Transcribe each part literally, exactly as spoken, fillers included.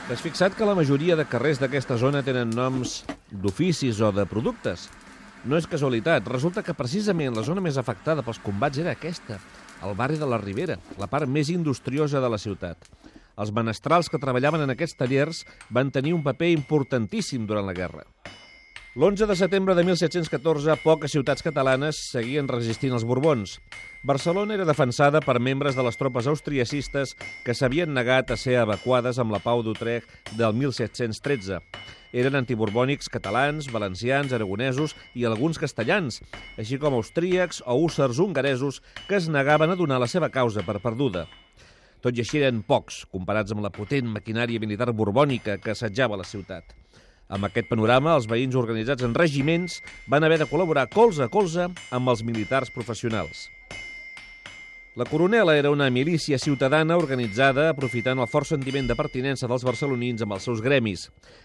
T'has fixat que la majoria de carrers d'aquesta zona tenen noms d'oficis o de productes? No és casualitat. Resulta que precisament la zona més afectada pels combats era aquesta, el barri de la Ribera, la part més industriosa de la ciutat. Els menestrals que treballaven en aquests tallers van tenir un paper importantíssim durant la guerra. L'onze de setembre de mil set-cents catorze, poques ciutats catalanes seguien resistint els Borbons. Barcelona era defensada per membres de les tropes austriacistes que s'havien negat a ser evacuades amb la Pau d'Utrecht del mil set-cents tretze. Eren antiborbònics catalans, valencians, aragonesos i alguns castellans, així com austríacs o hússars hongaresos que es negaven a donar la seva causa per perduda. Tot i així eren pocs, comparats amb la potent maquinària militar borbònica que assetjava la ciutat. Amb aquest panorama, els veïns organitzats en regiments van haver de col·laborar colze a colze amb els militars professionals. La Coronela era una milícia ciutadana organitzada aprofitant el fort sentiment de pertinença dels barcelonins amb els seus gremis.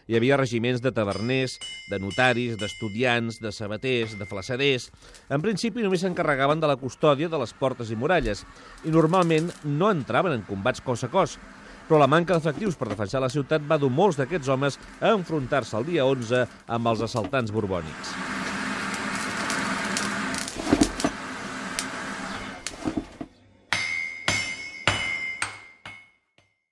Hi havia regiments de taverners, de notaris, d'estudiants, de sabaters, de flassaders. En principi només s'encarregaven de la custòdia de les portes i muralles i normalment no entraven en combats cos a cos. Però la manca d'efectius per defensar la ciutat va dur molts d'aquests homes a enfrontar-se el dia onze amb els assaltants borbònics.